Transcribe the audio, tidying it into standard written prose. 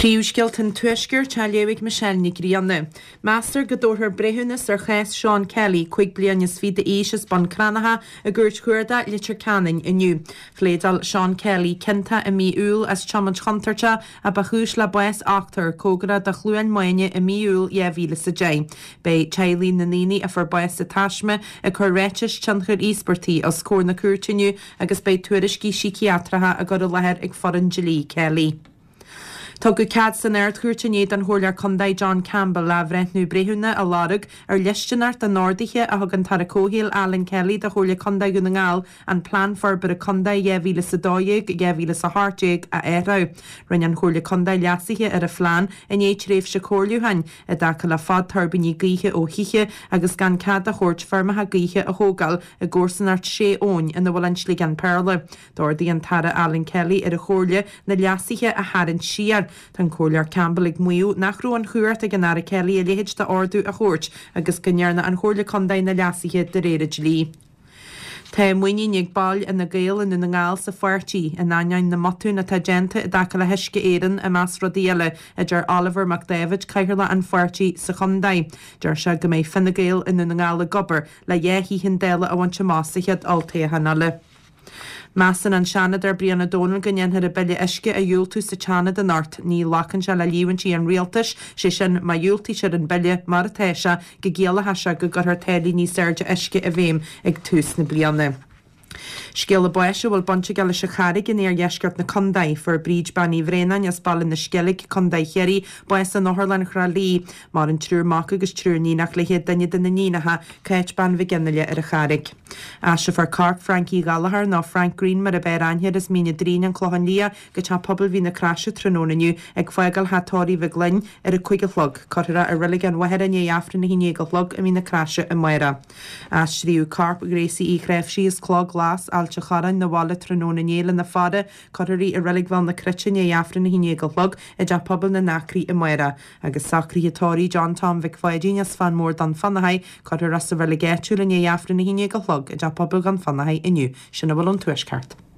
Príomhscéalta an Tuaiscirt á léamh ag Michelle Nic Grianna. Meastar go dtabharfar breithiúnas ar chás Sean Kelly, 25 bliain d'aois as Bun Cranncha, i gCúirt Chuarda, Leitir Ceanainn inniu. Phléadáil Sean Kelly ciontach i mí Iúil as tiomáint chontúirteach a ba chúis le bás ochtar cóngarach do Chluain Maine i mí Iúil 2010. Beidh teaghlaigh na ndaoine a fuair bás sa taisme ag cur ráitis tionchair íospartaigh os comhair na cúirte inniu agus beidh tuairiscí síciatracha á gcur i láthair ag foireann dlí Kelly. Tugadh cead san Ard-Chúirt inné don Chomhairleoir Contae John Campbell athbhreithniú breithiúna a lorg ar dhlisteanacht an ordaithe a thug an tAire Comhshaoil Alan Kelly do Chomhairle Contae Dhún na nGall an Plean Forbartha Contae 2012, 2018 a athrú. Rinne an Chomhairle Contae leasuithe ar a phlean i ndiaidh tréimhse comhairliúcháin i dtaca le fad tuirbíní gaoithe ó thithe agus gan cead a thabhairt feirmeacha gaoithe a thógáil i gcomharsanacht Sé Abhainn ina bhfuil an Sliogán Péarla. D'ordaigh an tAire Alan Kelly ar an Chomhairle na leasuithe a tharraingt siar. Tá an Comhairleoir Campbell ag maíomh nach raibh an chumhacht ag an Aire Kelly a leithéid d'ordú a thabhairt agus go ndearna an Chomhairle Contae na leasuithe de réir an dlí. Tá muinín ag baill Fhine Gael i nDún na nGall sa pháirtí, in ainneoin na mbotún atá déanta i dtaca le hUisce Éireann, i measc rudaí eile, a deir Oliver Mac Dáibhid, Cathaoirleach an pháirtí sa chontae. Deir sé go mbeidh Fine Gael i nDún na nGall ag obair le dhá shuíochán Dála a bhaint amach sa chéad olltoghchán eile. Measann an Seanadóir Brian Ó Domhnaill go ndéanfar an Bille Uisce a dhiúltú sa tSeanad anocht. Ní ghlacann sé le líomhaintí an Rialtais, sé sin má dhiúltaítear an Bille mar atá sé, go gciallódh sé go gcuirfear táillí níos airde uisce i bhfeidhm ag tús na bliana. Scéala báis a bhfuil baint aige leis an Charraig in iardheisceart na contae. Fuair Bríd Bean Uí Bhraonáin as Baile na Sceilg, Contae Chiarraí, bás in Otharlann Thrá Lí. Maireann triúr mac agus triúr níonach léi, duine de na níonacha, Cáit Bean Mhic Fhionnaile ar an Charraig. Aistreofar corp Frankie Gallagher, nó Frank Greene mar ab fhearr aithne air, as Mín an Doirín, An Clochán Liath, go Teach Pobail Mhín na Croise tráthnóna inniu ag fágáil Theach Tórraimh Mhig Fhloinn ar a 5 a chlog. Cuirfear é i Reilig an Mhachaire i ndiaidh Aifreann 11 a chlog i Mín na Croise amárach. Aistríodh corp Ghracie Uí Chnáimhsí as Cloch Ghlas, Ailt an Chorráin, 'na bhaile tráthnóna inné lena faire. Cuirfear í i Reilig Bhéal na Cruite i ndiaidh Aifreann 11 a chlog i dTeach Pobail na nAcraí amárach. Agus socruithe tórraimh John Tom Mhic Pháidín as Fán Mór Dún Fionnachaidh, cuirfear é sa reilig áitiúil i ndiaidh Aifreann 11 a chlog i dTeach Pobail Dhún Fionnachaidh inniu. Sin a bhfuil ón Tuaisceart.